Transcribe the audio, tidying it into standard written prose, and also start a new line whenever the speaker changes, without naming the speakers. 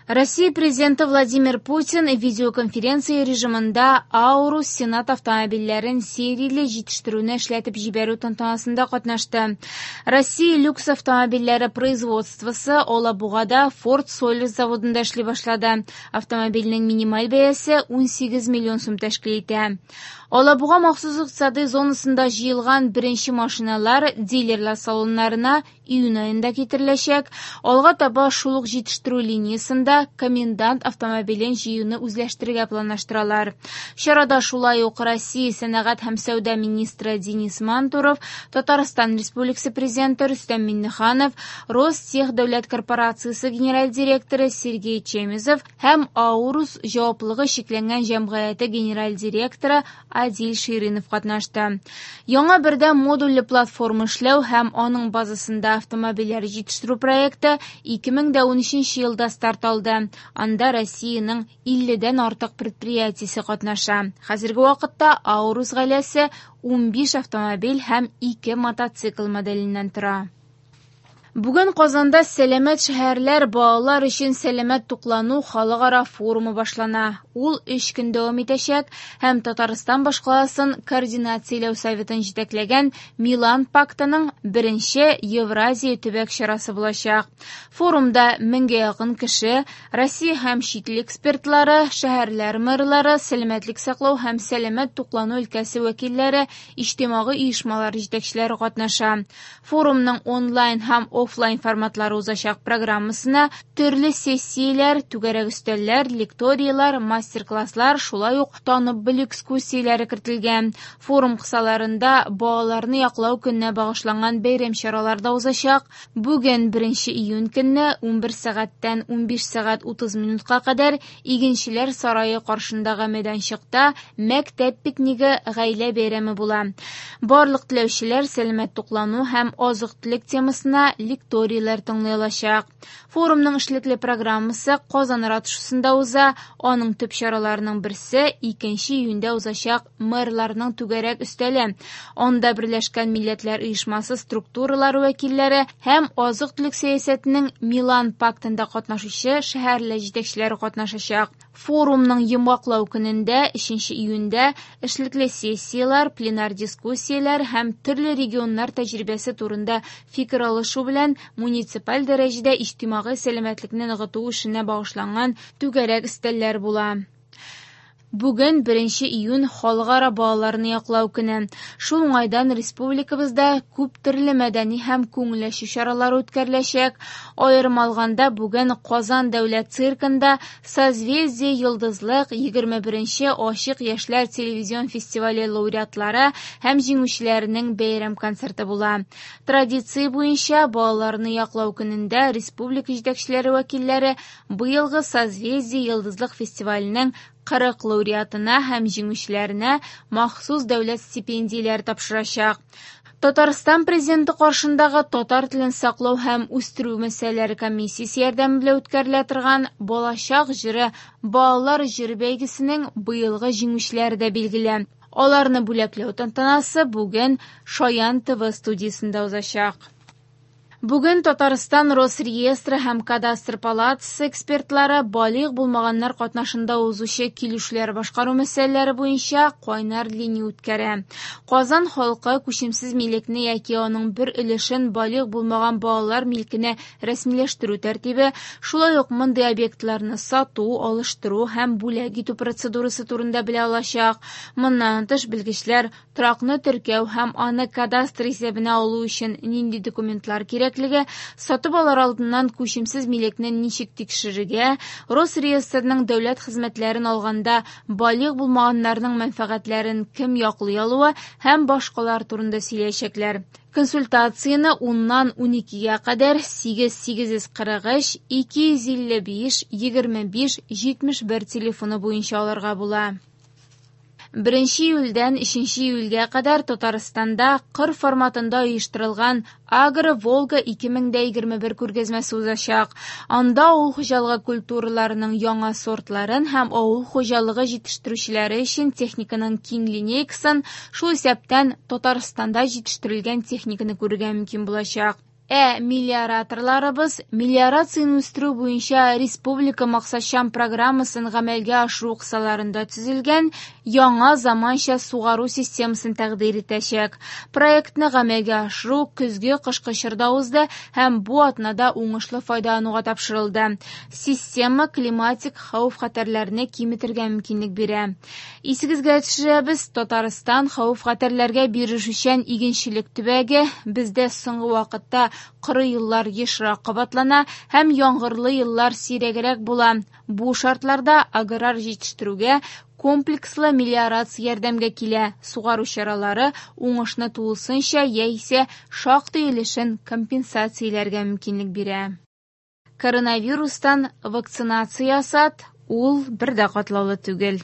Россия Президенты Владимир Путин видеоконференция режимында Аурус Сенат автомобильләрен серияле җитештерүне эшләтеп җибәрү тантанасында катнашты. Россия люкс автомобильләре производствосы Алабугада Ford Sollers заводында эшли башлады. Автомобильнең минималь бәясе 18 миллион сум тәшкил итә. Алабуга махсус икътисадый зонасында җыелган беренче машиналар дилерлар салоннарына июнь аенда китереләчәк. Алга таба шул ук җитештерү линиясендә Комендант автомобилен җыюны үзләштерергә планлаштыралар. Чарада шулай ук Россия сәнәгать һәм сәүдә министры Денис Мантуров, Татарстан Республикасы президенты Рөстәм Миңнеханов, Ростех дәүләт корпорациясе генераль директоры Сергей Чемезов һәм Аурус җаваплылыгы чикләнгән җәмгыяте генераль директоры Адиль Ширинов катнашты. Яңа бердәм модульле платформа эшләү һәм аның базасында автомобильләр җитештерү проекты 2013 елда старт алды. Анда Россиянең 50дән артык предприятиесе катнаша. Хәзерге вакытта Аурус гаиләсе 15 автомобиль һәм 2 мотоцикл моделеннән тора. Бүген Казанда Сәламәт шәһәрләр балалар өчен сәламәт туклану халыкара форумы башлана. Ул 3 көн дәвам итәчәк һәм Татарстан башкаласын координацияләү советын җитәкләгән Милан пактының беренче Евразия төбәк чарасы булачак. Форумда меңгә якын кеше, Россия һәм чит ил экспертлары, шәһәрләр мэрлары, сәламәтлек саклау һәм сәламәт туклану өлкәсе вәкилләре, иҗтимагый оешмалар җитәкчеләре катнаша. Форумның онлайн һәм офлайн форматлары узачак программасына төрле сессияләр, түгәрәк өстәлләр, лекторияләр, мастер-класслар, шулай ук танып белү экскурсияләре кертелгән. Форум кысаларында балаларны яклау көненә багышланган бәйрәм чаралары да узачак. Бүген 1 июнь көнне 11 сәгатьтән 15 сәгать 30 минутка кадәр Игенчеләр сарае каршындагы мәйданчыкта мәктәп пикнигы гаилә бәйрәме була. Барлык теләүчеләр сәламәт туклану һәм азык-төлек темасына лекторияләр тыңлый алачак. Форумның эшлекле программасы Казан ратушасында уза. Аның төп чараларының берсе 2 июньдә узачак мэрларның түгәрәк өстәле. Анда Берләшкән Милләтләр Оешмасы структуралары вәкилләре һәм азык-төлек сәясәтенең Милан пактында катнашучы шәһәрле җитәкчеләре катнашачак. Форумның йомгаклау көнендә, 3 июньдә, эшлекле сессияләр, пленар дискуссияләр һәм төрле регионнар тәҗрибәсе турында фикер алышу белән муниципаль дәрәҗәдә иҗтимагый сәламәтлекне ныгыту эшенә багышланган түгәрәк өстәлләр була. Бүген 1 июнь халыкара балаларны яклау көне. Шул уңайдан республикабызда күп төрле мәдәни һәм күңел ачу чаралары үткәреләчәк. Аерым алганда, бүген Казан дәүләт циркында Созвездие Йолдызлык 21 ачык яшьләр телевизион фестивале лауреатлары һәм җиңүчеләренең бәйрәм концерты була. Традиция буенча балаларны яклау көнендә республика җитәкчеләре вәкилләре быелгы Созвездие Йолдызлык фестиваленең 40 лауреатына һәм җиңүчеләренә махсус дәүләт стипендияләре тапшырачак. Татарстан президенты каршындагы татар телен саклау һәм үстерү мәсьәләләре комиссиясе ярдәме белән үткәрелә торган Балачак җыры балалар җыры бәйгесенең быелгы җиңүчеләре дә билгеле. Аларны бүләкләү тантанасы бүген Шаян ТВ студиясендә узачак. Бүген Татарстан Росреестры һәм Кадастр палатасы экспертлары балигъ булмаганнар катнашында узучы килешүләр башкару мәсьәләләре буенча кайнар линия үткәрә. Казан халкы күчемсез милекне яки аның бер өлешен балигъ булмаган балалар милкенә рәсмиләштерү тәртибе, шулай ук мондый объектларны сату, алыштыру һәм бүләк итү процедурасы турында белә алачак. Моннан тыш белгечләр торакны теркәү һәм аны кадастр исәбенә алу өчен нинди документлар кирәклеге, сатып алыр алдыннан күчемсез милекне ничек тикшерергә, Росреестрның дәүләт хезмәтләрен алганда балигъ булмаганнарның мәнфәгатьләрен кем яклый алуы һәм башкалар турында сөйләячәкләр. Консультацияне 10-нан 12-гә кадәр 8 843 255 25 71 телефоны буенча алырга була. 1 июльдән 3 июльгә кадәр Татарстанда кыр форматында оештырылган Агро Волга 2021 күргәзмәсе узачак. Анда авыл хуҗалыгы культураларының яңа сортларын һәм авыл хуҗалыгы җитештерүчеләре өчен техниканың киң линейкасын, шул исәптән Татарстанда җитештерелгән техниканы күрергә мөмкин булачак. Ә мелиораторларыбыз мелиорацияне үстерү буенча республика максатчан программасын гамәлгә ашыру кысаларында төзелгән яңа заманча сугару системасын тәкъдир итәчәк. Проектны гамәлгә ашыру көзге-кышкы чорда узды һәм бу атнада уңышлы файдалануга тапшырылды. Система климатик хәвеф-хәтәрләрне киметергә мөмкинлек бирә. Исегезгә төшерәбез, Татарстан хәвеф-хәтәрләргә бирешүчән игенчелек төбәге. Бездә соңгы вакытта коры еллар ешрак кабатлана һәм яңгырлы еллар сирәгрәк була. Бу шартларда аграр җитештерүгә комплекслы мелиорация ярдәмгә килә. Сугару чаралары уңышны тулысынча яисә шактый өлешен компенсацияләргә мөмкинлек бирә. Коронавирустан вакцинация ясат, ул бер дә катлаулы түгел.